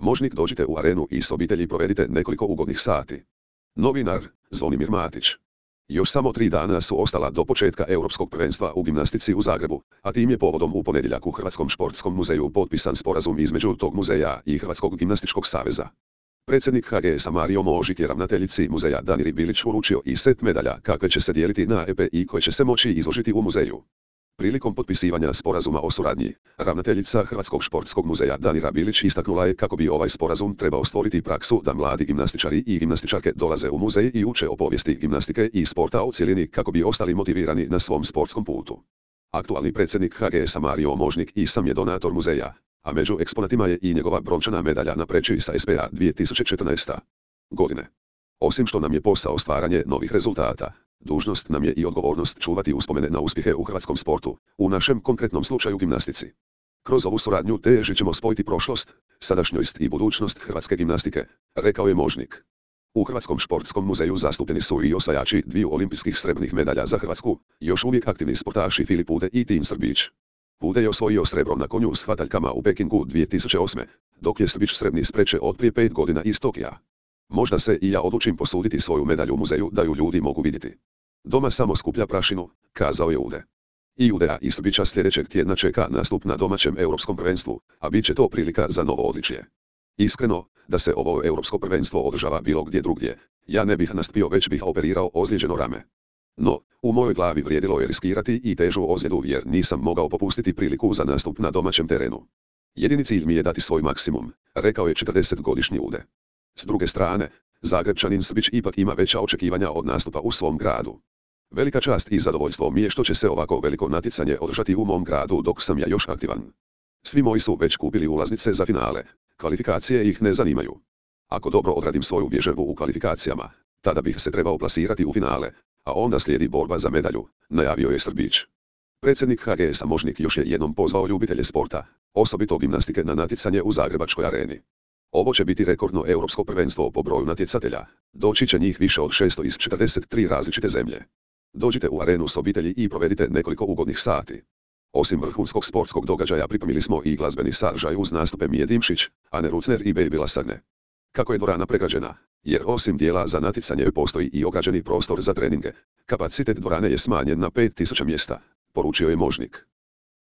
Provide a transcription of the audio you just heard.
Možnik, dođite u arenu i s obitelji provedite nekoliko ugodnih sati. Novinar, Zvonimir Matić. Još samo 3 dana su ostala do početka Europskog prvenstva u gimnastici u Zagrebu, a tim je povodom u ponedjeljak u Hrvatskom športskom muzeju potpisan sporazum između tog muzeja i Hrvatskog gimnastičkog saveza. Predsjednik HGS-a Mario Možik je ravnateljici muzeja Daniri Bilić uručio i set medalja kakve će se dijeliti na EP i koje će se moći izložiti u muzeju. Prilikom potpisivanja sporazuma o suradnji, ravnateljica Hrvatskog športskog muzeja Danira Bilić istaknula je kako bi ovaj sporazum trebao stvoriti praksu da mladi gimnastičari i gimnastičarke dolaze u muzej i uče o povijesti gimnastike i sporta u cjelini kako bi ostali motivirani na svom sportskom putu. Aktualni predsjednik HGS-a Mario Možnik i sam je donator muzeja, a među eksponatima je i njegova brončana medalja na preći sa SPA 2014. godine. Osim što nam je posao stvaranje novih rezultata, dužnost nam je i odgovornost čuvati uspomene na uspjehe u hrvatskom sportu, u našem konkretnom slučaju gimnastici. Kroz ovu suradnju težit ćemo spojiti prošlost, sadašnjost i budućnost hrvatske gimnastike, rekao je Možnik. U Hrvatskom športskom muzeju zastupljeni su i osvajači 2 olimpijskih srebrnih medalja za Hrvatsku, još uvijek aktivni sportaši Filip Pude i Tin Srbić. Pude je osvojio srebro na konju s hvataljkama u Pekingu 2008. dok je Srbić srebrni spreče od prije 5 godina iz Tokija. Možda se i ja odlučim posuditi svoju medalju u muzeju da ju ljudi mogu vidjeti. Doma samo skuplja prašinu, kazao je Ude. I Udea i Srbića sljedećeg tjedna čeka nastup na domaćem europskom prvenstvu, a bit će to prilika za novo odličje. Iskreno, da se ovo europsko prvenstvo održava bilo gdje drugdje, ja ne bih nastupio već bih operirao ozlijeđeno rame. No, u mojoj glavi vrijedilo je riskirati i težu ozljedu jer nisam mogao popustiti priliku za nastup na domaćem terenu. Jedini cilj mi je dati svoj maksimum, rekao je 40-godišnji Ude. S druge strane, Zagrebčanin Srbić ipak ima veća očekivanja od nastupa u svom gradu. Velika čast i zadovoljstvo mi je što će se ovako veliko natjecanje održati u mom gradu dok sam ja još aktivan. Svi moji su već kupili ulaznice za finale, kvalifikacije ih ne zanimaju. Ako dobro odradim svoju vježbu u kvalifikacijama, tada bih se trebao plasirati u finale, a onda slijedi borba za medalju, najavio je Srbić. Predsjednik HGS-a Možnik još je jednom pozvao ljubitelje sporta, osobito gimnastike na natjecanje u Zagrebačkoj areni. Ovo će biti rekordno europsko prvenstvo po broju natjecatelja, doći će njih više od 600 iz 43 različite zemlje. Dođite u arenu s obitelji i provedite nekoliko ugodnih sati. Osim vrhunskog sportskog događaja pripremili smo i glazbeni sadržaj uz nastupe Mije Dimšić, Ane Rucner i Baby Lasagne. Kako je dvorana pregrađena, jer osim dijela za natjecanje postoji i ograđeni prostor za treninge, kapacitet dvorane je smanjen na 5000 mjesta, poručio je Možnik.